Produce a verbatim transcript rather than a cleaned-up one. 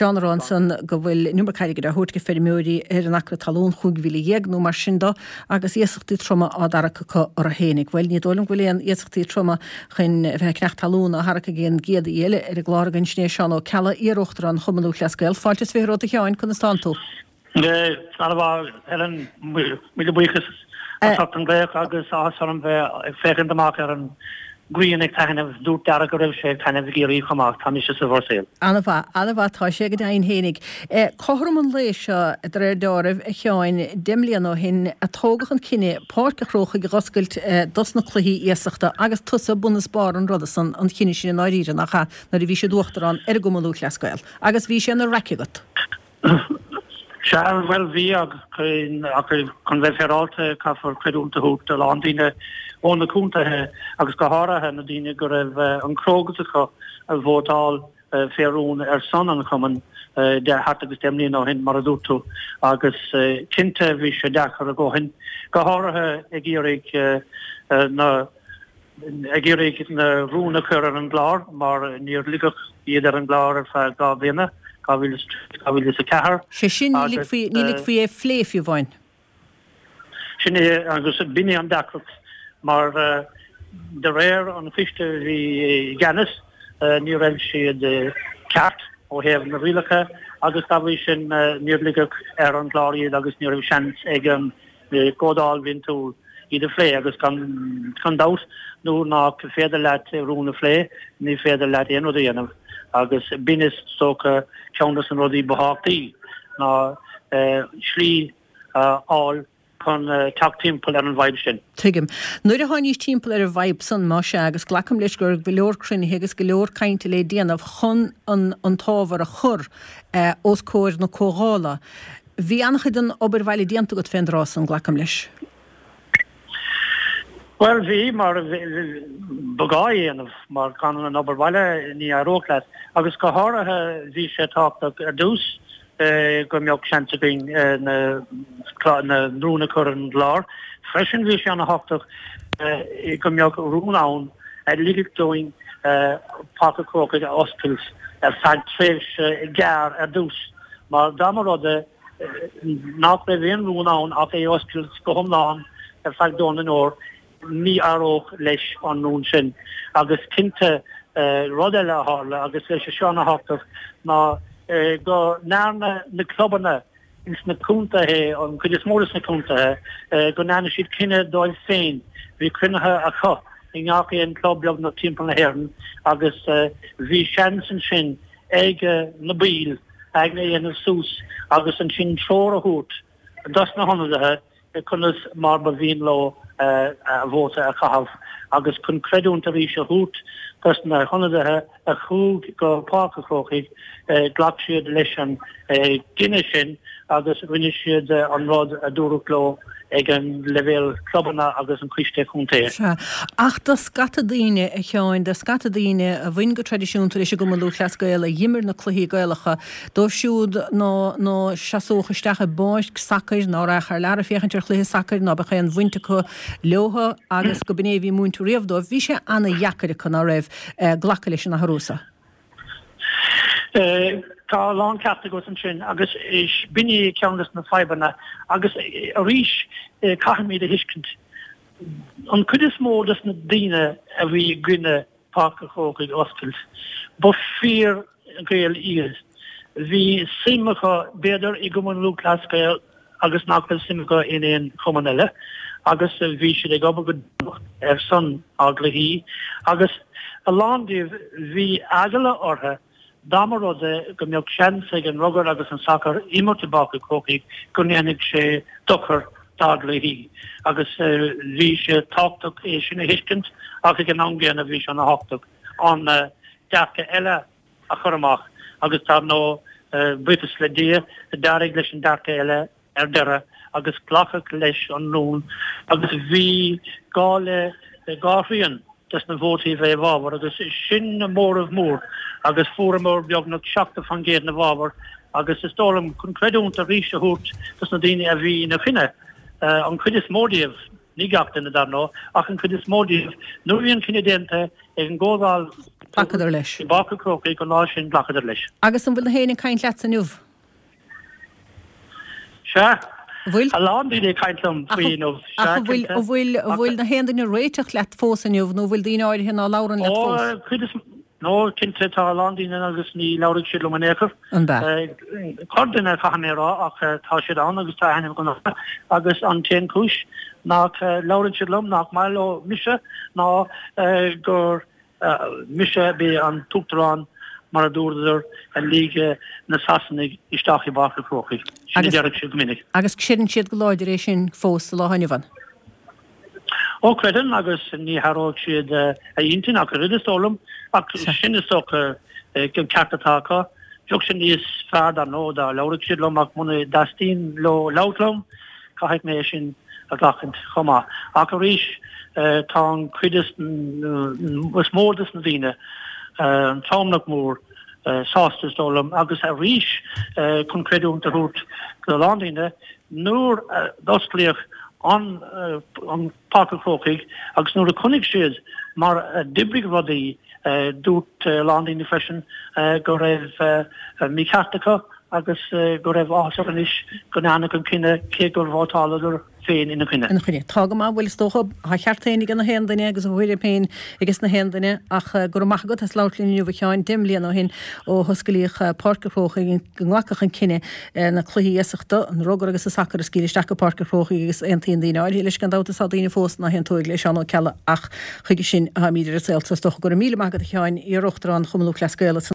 Seán ag rá ansan go bhfuil an iomarca airgid á thabhairt go feirmeoirí ar an acra talún, chúig mhíle dhéag nó mar sin do, agus iasachtaí troma á dtarrac acu orthu fhéinig. Bhuel, ní dóigh liom go bhfuil aon iasachtaí troma chun a bheith ag ceannach talún á tharrac ag an gcéad aoi eile ar an gclár againn, sin é Seán Ó Ceallaigh, iar-Uachtarán Chumann Lúthchleas Gael. Fáilte is fiche romhat a Sheáin, conas tánn tú? Ana-mhaith, Helen, míle buíochas as ucht an glaoch agus áthas orm bheith ag féachaint amach ar an ghrian ag taitneamh. Dúirt Dara go raibh sé ag taitneamh i gCiarraí chomh maith. Tá mise sa Bhruiséil. Ana-mhaith, ana-mhaith tá sé go deimhin fhéinig. Cothrom an lae seo, de réir deáraimh, a Sheáin, deich mbliana ó shin a tógadh an cinneadh Páirc a' Chrócaigh a dh'oscailt dos na cluichí iasachta agus tusa bun is barr an ruda san, an chinnidh sin i ndáiríre, nach ea, nuair a bhís i d'Uachtarán ar an gCumann Lúthchleas Gael. Agus bhí sé ina raic agat. Sea, bhuel, bhí, ach chun bheith féaráilte, caithfear creidiúint a thabhairt do a lán daoine ó na contaetha agus go háirithe na daoine go raibh an crógas acu a vótáil fé rún ar son an chumainn thart agus deich mbliana ó shin, mar a dúirt tú, agus cinnte bhí sé deacair a dhóthain, go háirithe ag iarraidh na. ag iarraidh na rúin a chur ar an gclár mar níor ligeadh iad ar an gclár ar feadh dhá bhliana, dhá mhíle is a trí, dhá mhíle is a ceathair. Sé sin, ní ligfí, ní ligfí é a phlé fiú amháin. Sin é, agus b'in é an deacracht mar de réir an choiste a bhí i gceannas ní raibh siad ceart ó thaobh na rialacha agus dá bhrí sin níor ligeadh ar an gclár iad agus ní raibh seans ag an gComhdháil Bhliantúil iad a phlé agus gan dabht nuair nach féidir leat rún a phlé ní féidir leat aon rud a dhéanamh agus b'in is dócha ceann de na rudaí ba thábhachtaí ná slí a fháil chun teacht timpeall ar an bhfadhb sin. Tuigim. Nuair a tháinís timpeall ar an bhfadhb san, más ea, agus glacaim leis go raibh go leor cruinnithe agus go leor cainte le déanamh chun an an t-ábhar a chur os comhair na comhdhála, Bhí an-chuid den obair bhaile déanta agat fén dtráth san, glacaim leis. Bhuel, bhí, mar ba ghá é a dhéanamh, mar gan an obair bhaile ní éireodh leat. Agus go háirithe bhí sé tábhachtach ar dtús go mbeadh seans againn na na rúin a chur ar an gclár. Freisin bhí sé ana-thábhachtach go mbeadh rún ann a ligfeadh dúinn Páirc an Chrócaigh a oscailt ar feadh tréimhse gearr ar dtús. Mar dá mba rud é nach raibh aon rún ann ach é a oscailt go hiomlán ar feadh Domhan an Fhómhair, ní éireodh leis an rún sin. Agus cinnte, rud eile a tharla, agus é seo ana-thábhachtach, ná go ndearna na clubanna ins na contaetha, an chuid is mó des na contaetha, go ndearna siad cinneadh dóibh féin. Bhí cruinnithe acu i ngach aon club beagnach timpeall na hÉireann agus bhí seans ansin ag na baill aigne a dhéanamh suas agus ansin treoir a thabhairt dos na hionadaithe conas mar ba mhian leo a vóta a chaitheamh agus chun creidiúint arís a thabhairt dos na hionadaithe a chuaigh go Páirc an Chrócaigh, ghlac siad leis an gcinneadh sin agus rinne siad an rud a dúradh leo ag an leibhéal clubanna agus an coiste contae. Sea. Ach do scata daoine, a Sheáin, do scata daoine a bhain go traidisiúnta leis an gCumann Lúthchleas Gael, a dh'imir na cluichí Gaelacha, dóibh siúd ná ná seasódh isteach i bpáirc sacair, ná raghadh thar lear ag féachaint ar chluiche sacair, ná beadh aon bhaint acu leotha agus go b'in é a bhí múinte riamh dóibh, bhí sé ana-dheacair acu, ná raibh, glacadh leis an athrú so. Tá a lán ceart agat ansin agus b'in é ceann de na fadhbanna agus arís caithfimid a thuiscint an chuid is mó de na daoine a bhí i gcoinne Páirc an Chrócaigh a oscailt, ba fíor Ghaeil iad. Bhí suim acu b'fhéidir i gCumann Lúthchleas Gael agus nach raibh suim acu in aon chumann eile agus bhí siad ag obair go deonach ar son ár gcluichí agus a lán díobh bhí eagla orthu dá mba rud é go mbeadh seans ag an rugar agus an sacar imirt i bPáirc an Chrócaigh go ndéanfadh sé dochar dá gcluichí agus bhí sé tábhachtach é sin a thuiscint ach ag an am gcéanna bhí sé ana thábhachtach an dearcadh eile a chur amach agus dar ndóigh, buíochas le Dia, d'éirigh leis an dearcadh eile ar deireadh agus glacadh leis an rún agus bhí gá le dhá thrian des na vótaí a bheith i bhfabhar agus sin móramh mór agus fuaireamar beagnach seachtó faoin gcéad ina bhfabhar agus is dóigh liom chun creidiúint arís a thabhairt dos na daoine a bhí ina choinne, an chuid is mó díobh, ní gach duine dar ndóigh, ach an chuid is mó díobh, nuair a bhí an cinneadh déanta ag an gcomhdháil Ghlacadar leis. I bPáirc an Chrócaigh an lá sin ghlacadar leis. Agus an bhfuil na héinne ag caint leatsa inniu? Sea. An bhfuil? A lán daoine ag caint liom faoi inniu. Ach an bhfuil, an bhfuil, an bhfuil na haon duine ag réiteach leat fós inniu nó an bhfuil daoine áirithe ná labhrann leat fós? Ó, cuid is, nó cinnte tá a lán daoine ann agus ní labhraíonn siad liom in aon chor. An b'ea? Corrduine caithfidh mé a rá ach tá siad ann agus tá aithne agam orthu agus an t-aon chúis nach labhrann siad liom nach maith leo mise ná gur Mise a bhí an t-uachtarán mar a dúradar a lig na Sasanaigh isteach i bPáirc an Chrócaigh. Sin a deireadh siad go minic. Agus creideann siad go láidir é sin fós sa lá inniu ann? Ó creideann agus ní hathróidh siad a n-intinn ach oiread is dóigh liom. Ach sin is dócha an ceart atá acu. Bheadh sé níos fearr dar ndóigh dá labhródh siad liom ach muna dteastaíonn leo labhairt liom caithfidh mé é sin a ghlacaint chomh maith. Ach arís, tá an chuid is mó des na daoine, an tromlach mór, sásta is dóigh liom. Agus arís, chun creidiúint a thabhairt do a lán daoine, nuair a d'osclaíodh an Páirc an Chrócaigh agus nuair a chonaic siad mar a d'oibrigh rudaí, dúirt a lán daoine freisin go raibh mícheart acu agus go raibh áthas orthu anois go ndearnadh an cinneadh cé gur vótáladar féin ina choinne. Ina choinne. Tá go maith, bhuel is dócha, tá a cheart féin ag na haon duine agus a thuairim féin ages na haon duine ach go raibh maith agat as labhairt linn inniu a Sheáin, deich mbliana ó shin ó hosclaíodh Páirc an Chrócaigh go nglacadh an cinneadh na cluichí iasachta, an rugar agus an sacar a scaoileadh isteach go Páirc an Chrócaigh agus aontaíonn daoine áirithe leis gan dabht is tá daoine fós ná haontóidh le Seán Ó Ceallaigh ach chuige sin atáimid ar an saol so is dócha. Go raibh míle maith agat a Sheáin, iar-Uachtarán Chumann Lúthchleas Gael.